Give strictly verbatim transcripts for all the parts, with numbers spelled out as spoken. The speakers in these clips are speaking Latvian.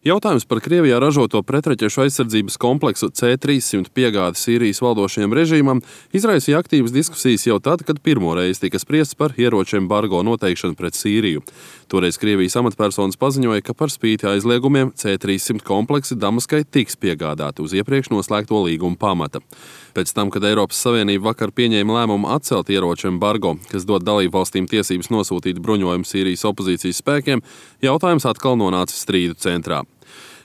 Jautājums par Krievijā ražoto pretraķešu aizsardzības kompleksu C trīssimt piegādi Sīrijas valdošajam režīmam izraisīja aktīvas diskusijas jau tad, kad pirmo reizi tika spriests par ieroču embargo noteikšanu pret Sīriju. Toreiz Krievijas amatpersonas paziņoja, ka par spīti aizliegumiem C trīssimt kompleksi Damaskai tiks piegādāti uz iepriekš noslēgto līgumu pamata. Pēc tam, kad Eiropas Savienība vakar pieņēma lēmumu atcelt ieroču embargo, kas dod dalībvalstīm tiesības nosūtīt bruņojumu Sīrijas opozīcijas spēkiem, jautājums atkal nonāca strīdu centrā.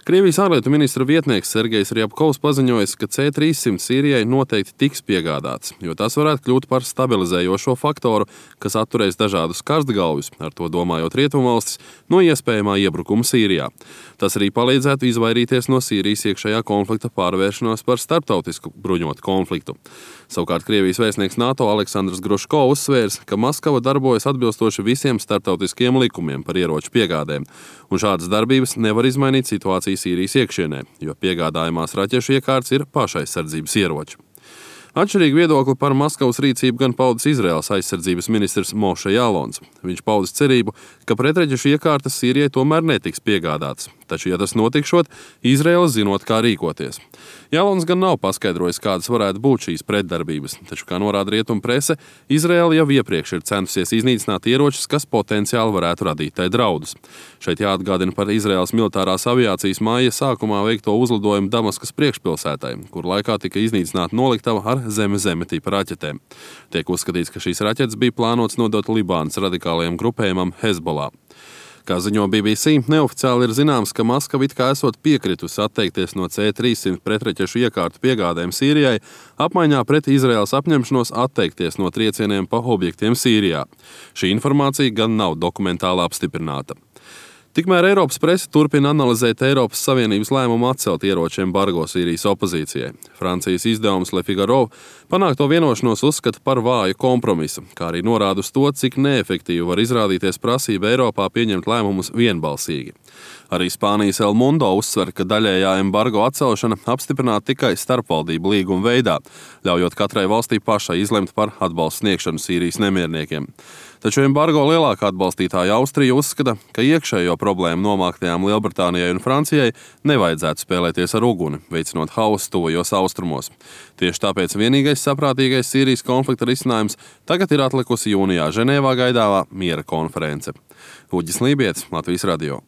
Krievijas ārlietu ministra vietnieks Sergejs Ryabkovs paziņoja, ka C trīssimt Sīrijai noteikti tiks piegādāts, jo tas varētu kļūt par stabilizējošo faktoru, kas atturēs dažādus karstgalvjus, ar to domājot rietumvalstis, no iespējamā iebrukuma Sīrijā. Tas arī palīdzētu izvairīties no Sīrijas iekšējā konflikta pārvēršanās par starptautisku bruņotu konfliktu. Savukārt Krievijas vēstnieks NATO Aleksandrs Gruško uzsvērs, ka Maskava darbojas atbilstoši visiem starptautiskiem likumiem par ieroču piegādēm, un šādas darbības nevar izmainīt situāciju Sīrijas iekšienē, jo piegādājumās raķešu iekārts ir pašaizsardzības ieroči. Atšķirīgu viedokli par Maskavas rīcību gan paudis Izraēlas aizsardzības ministrs Moše Jālons. Viņš paudis cerību, ka pretraķešu iekārtas Sīrijai tomēr netiks piegādātas, taču, ja tas notikšot, Izraēla zinot, kā rīkoties. Jālons gan nav paskaidrojis, kādas varētu būt šīs pretdarbības, taču, kā norāda rietumu prese, Izraēla jau iepriekš ir centusies iznīcināt ieročus, kas potenciāli varētu radīt tai draudus. Šeit jāatgādina par Izraēlas militārās aviācijas māja sākumā veikto uzlidojumu Damaskas priekšpilsētai, kur laikā tika iznīcināta noliktava ar zeme-zeme tipa raķetēm. Tiek uzskatīts, ka šīs raķetes bija plānotas nodot Libānas radikālajiem grupējumam Hezbollah. Kā ziņo B B C, neoficiāli ir zināms, ka Maskava it kā esot piekritusi atteikties no C trīssimt pretraķešu iekārtu piegādēm Sīrijai, apmaiņā pret Izraēlas apņemšanos atteikties no triecieniem pa objektiem Sīrijā. Šī informācija gan nav dokumentāli apstiprināta. Tikmēr Eiropas prese turpina analizēt Eiropas Savienības lēmumu atcelt ieroču embargo Sīrijas opozīcijai. Francijas izdevums Le Figaro panākto vienošanos uzskata par vāju kompromisu, kā arī norāda uz to, cik neefektīvi var izrādīties prasība Eiropā pieņemt lēmumus vienbalsīgi. Arī Spānijas El Mundo uzsver, ka daļējā embargo atcelšana apstiprināta tikai starpvaldību līguma veidā, ļaujot katrai valstī pašai izlemt par atbalstu sniegšanu Sīrijas nemierniekiem. Taču embargo lielākā atbalstītāja Austrija uzskata, ka iekšējo problēmu nomāktajām Lielbritānijai un Francijai nevajadzētu spēlēties ar uguni, veicinot hausu tuvajos austrumos. Tieši tāpēc vienīgais saprātīgais Sīrijas konflikta risinājums tagad ir atlikusi jūnijā Ženēvā gaidāmā miera konference. Uģis Lībietis, Latvijas radio.